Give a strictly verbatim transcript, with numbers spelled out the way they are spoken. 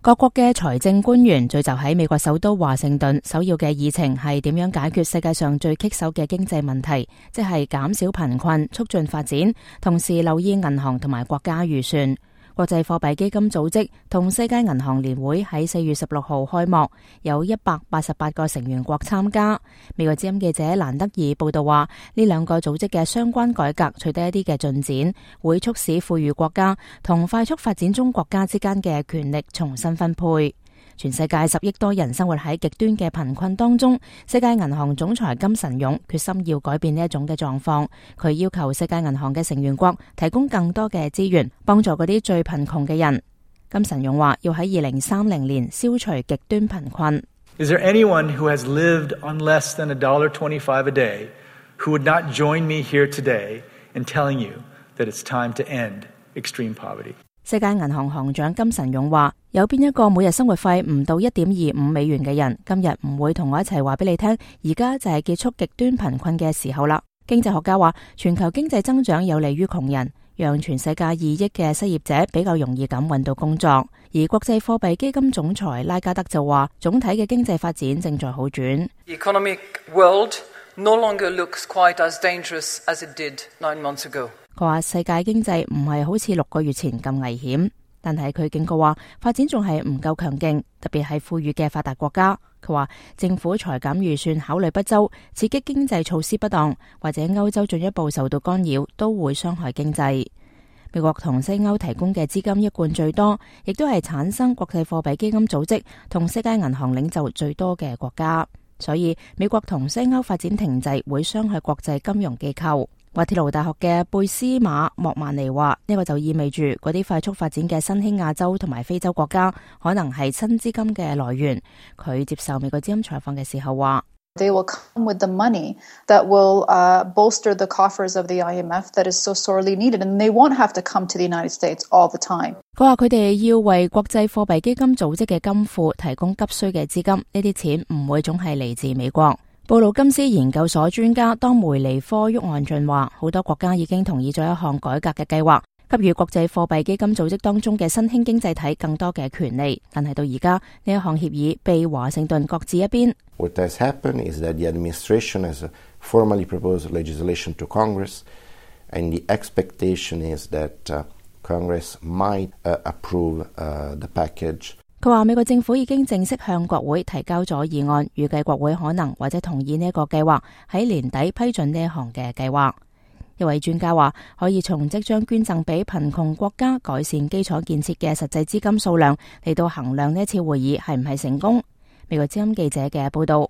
各國嘅財政官員聚集喺美國首都華盛頓，首要嘅議程係點樣解決世界上最棘手嘅經濟問題，即係減少貧困、促進發展，同時留意銀行同埋國家預算。國際貨幣基金組織同世界銀行年會喺四月十六號開幕，有一百八十八個成員國參加。美國之音記者蘭德爾報道話，呢兩個組織嘅相關改革取得一啲嘅進展，會促使富裕國家同快速發展中國家之間嘅權力重新分配。全世界十億多人生活喺極端嘅貧困當中，世界銀行總裁金晨勇決心要改變呢一種嘅狀況。佢要求世界銀行嘅成員國提供更多嘅資源，幫助嗰啲最貧窮嘅人。金晨勇話要喺二零三零年消除極端貧困。Is there anyone who has lived on less than a dollar twenty-five a day who would not join me here today in telling you that it's time to end extreme poverty? 世界銀行行長金晨勇話，有邊一個每日生活費唔到一點二五美元嘅人，今日唔會同我一齊話俾你聽，而家就係結束極端貧困嘅時候啦。經濟學家話，全球經濟增長有利於窮人，讓全世界二億嘅失業者比較容易咁揾到工作。而國際貨幣基金總裁拉加德就話，總體嘅經濟發展正在好轉。The economic world no longer looks quite as dangerous as it did nine months ago. 佢話世界經濟唔係好似六個月前咁危險，但係佢警告話發展仲係唔夠強勁，特別係富裕嘅發達國家。佢話政府裁減預算考慮不周，刺激經濟措施不當，或者歐洲進一步受到干擾，都會傷害經濟。美國同西歐提供嘅資金一貫最多，亦都係產生國際貨幣基金組織同世界銀行領袖最多嘅國家。所以美國同西歐發展停滯會傷害國際金融機構。滑鐵盧大學嘅貝斯馬莫曼尼話，呢個就意味住嗰啲快速發展嘅新興亞洲同埋非洲國家可能係新資金嘅來源。佢接受美國之音採訪嘅時候話，They will come with the money that will uh, bolster the coffers of the I M F that is so sorely needed, and they won't have to come to the United States all the time. 佢話佢哋要為國際貨幣基金組織嘅金庫提供急需嘅資金，呢啲錢唔會總係嚟自美國。布魯金斯研究所專家當梅尼科沃岸俊話，好多國家已經同意咗一項改革嘅計劃，給予國際貨幣基金組織當中嘅新興經濟體更多嘅權利，但係到而家呢一項協議被華盛頓擱置一邊。What has happened is that the administration has formally proposed legislation to Congress, and the expectation is that uh, Congress might uh, approve uh, the package. 佢話美國政府已經正式向國會提交咗議案，預計國會可能或者同意呢一個計劃，喺年底批准呢一項嘅計劃。一位專家話，可以從即將捐贈俾貧窮國家改善基礎建設嘅實際資金數量嚟到衡量呢一次會議係唔係成功。美國之音記者嘅報道。